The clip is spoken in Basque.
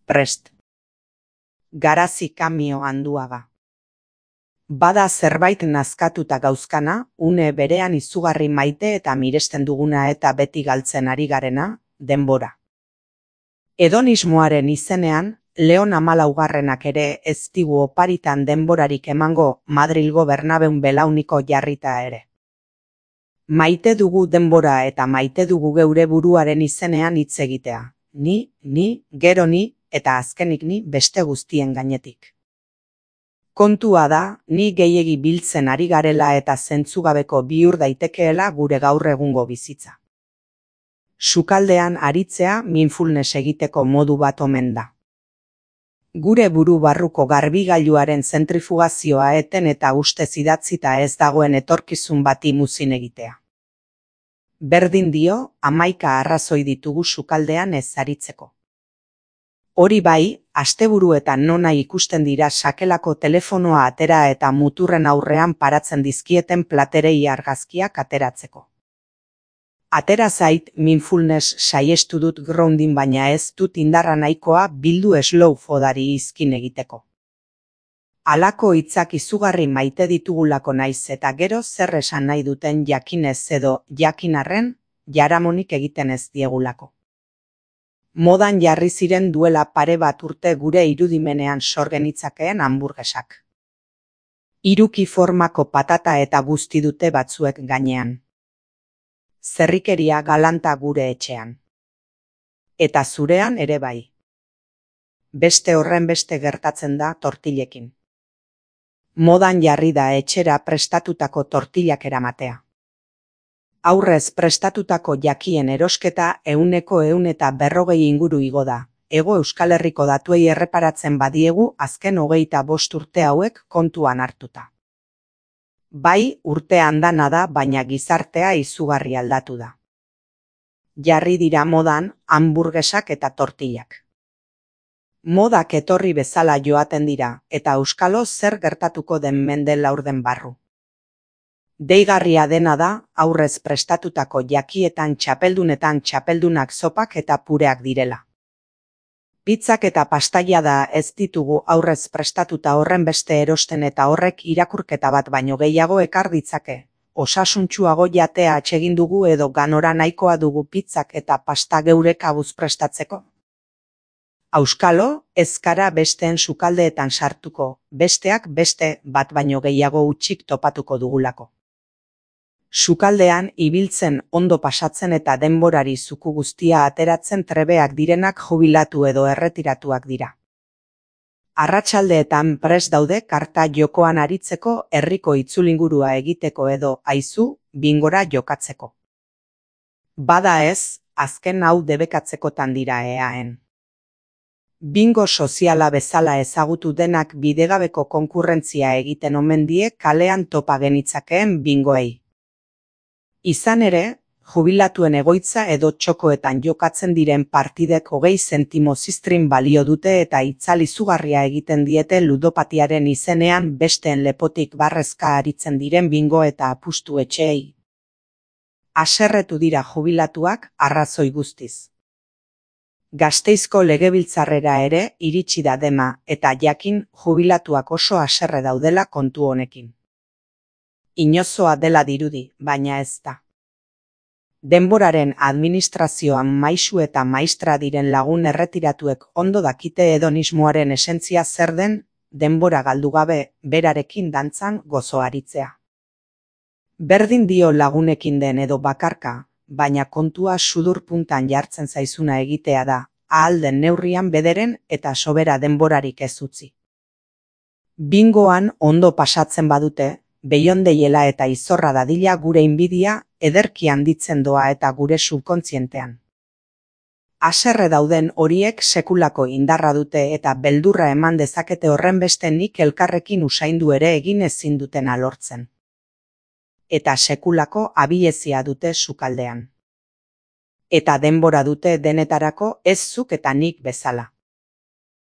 prest. Garazi Kamio Anduaga. Bada zerbait nazkatuta gauzkana, une berean izugarri maite eta miresten duguna eta beti galtzen ari garena, denbora. Hedonismoaren izenean, Leon Hamalaugarrenak ere ez digu oparitan denborarik emango Madrilgo Bernabeun belauniko jarrita ere. Maite dugu denbora eta maite dugu geure buruaren izenean hitz egitea. Ni, gero ni, eta azkenik ni beste guztien gainetik. Kontua da, ni gehiegi biltzen ari garela eta zentzugabeko bihur daitekeela gure gaur egungo bizitza. Sukaldean aritzea mindfulness egiteko modu bat omen da. Gure buru barruko garbigailuaren zentrifugazioa eten eta ustez idatzita ez dagoen etorkizun bati muzin egitea. Berdin dio, 11 arrazoi ditugu sukaldean ez aritzeko. Hori bai, asteburuetan nona ikusten dira sakelako telefonoa atera eta muturren aurrean paratzen dizkieten platerei argazkiak ateratzeko. Atera zait, mindfulness saiestu dut grounding baina ez dut indarra nahikoa bildu slow fodari izkin egiteko. Halako hitzak izugarri maite ditugulako naiz eta gero zer esan nahi duten jakinez edo jakinarren jaramonik egiten ez diegulako. Modan jarri ziren duela pare bat urte gure irudimenean sor genitzakeen hamburgesak. Hiruki formako patata eta guzti dute batzuek gainean. Zerrikeria galanta gure etxean. Eta zurean ere bai. Beste horren beste gertatzen da tortillekin. Modan jarri da etxera prestatutako tortillak eramatea. Aurrez prestatutako jakien erosketa 140 inguru igo da. Hego Euskal Herriko datuei erreparatzen badiegu azken 25 urte hauek kontuan hartuta. Bai, urtean dana da, baina gizartea izugarri aldatu da. Jarri dira modan hamburgesak eta tortillak. Modak etorri bezala joaten dira, eta auskalo zer gertatuko den mende laurden barru. Deigarria dena da, aurrez prestatutako jakietan txapeldunetan txapeldunak zopak eta pureak direla. Pizzak eta pastaia da ez ditugu aurrez prestatuta horren beste erosten eta horrek irakurketa bat baino gehiago ekar ditzake. Osasuntsuago jatea atsegin dugu edo ganora nahikoa dugu pizzak eta pasta geure kabuz prestatzeko. Auskalo, ez gara besteen sukaldeetan sartuko, besteak beste bat baino gehiago utxik topatuko dugulako. Sukaldean ibiltzen ondo pasatzen eta denborari zuku guztia ateratzen trebeak direnak jubilatu edo erretiratuak dira. Arratsaldeetan prest daude karta jokoan aritzeko herriko itzulingurua egiteko edo aizu bingora jokatzeko. Bada ez, azken hau debekatzekotan dira eaen. Bingo soziala bezala ezagutu denak bidegabeko konkurrentzia egiten omen die kalean topa genitzakeen bingoei. Izan ere, jubilatuen egoitza edo txokoetan jokatzen diren partidek 20 zentimo ziztrin balio dute eta itzal izugarria egiten diete ludopatiaren izenean besteen lepotik barrezka aritzen diren bingo eta apustu etxeei. Haserretu dira jubilatuak arrazoi guztiz. Gasteizko legebiltzarrera ere iritsi da dema eta jakin jubilatuak oso haserre daudela kontu honekin. Inozoa dela dirudi, baina ez da. Denboraren administrazioan maisu eta maistra diren lagun erretiratuek ondo dakite hedonismoaren esentzia zer den, denbora galdu gabe berarekin dantzan gozoaritzea. Berdin dio lagunekin den edo bakarka, baina kontua sudur puntan jartzen zaizuna egitea da, ahal den neurrian bederen eta sobera denborarik ez utzi. Bingoan ondo pasatzen badute, beiondeiela eta izorra dadila gure inbidia ederki handitzen doa eta gure subkontzientean. Haserre dauden horiek sekulako indarra dute eta beldurra eman dezakete horren beste nik elkarrekin usaindu ere egin ezin dutena lortzen. Eta sekulako abiezia dute sukaldean. Eta denbora dute denetarako ez zuk eta nik bezala.